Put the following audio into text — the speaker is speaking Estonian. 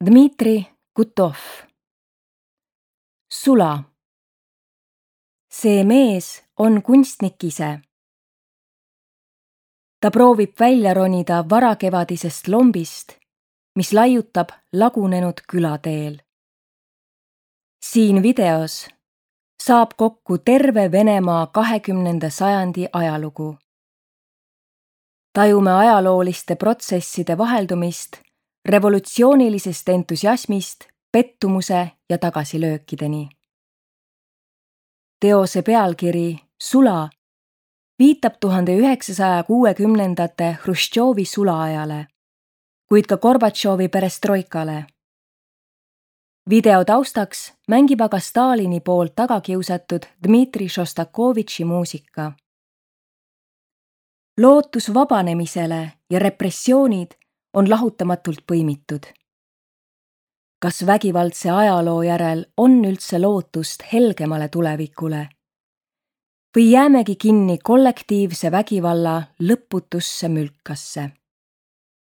Dmitri Gutov. Sula. See mees on kunstnik ise. Ta proovib välja ronida varakevadisest lombist, mis laiutab lagunenud külateel. Siin videos saab kokku terve Venemaa 20. sajandi ajalugu. Tajume ajalooliste protsesside vaheldumist revolutsioonilisest entusiasmist pettumuse ja tagasilöökideni. Teose pealkiri Sula viitab 1960. Hruštšovi sulaajale, kuid ka Gorbatšovi perestroikale. Video taustaks mängib aga Stalini poolt tagakiusatud Dmitri Šostakovitši muusika. Lootus vabanemisele ja repressioonid on lahutamatult põimitud. Kas vägivaldse ajaloo järel on üldse lootust helgemale tulevikule? Või jäämegi kinni kollektiivse vägivalla lõputusse mülkasse?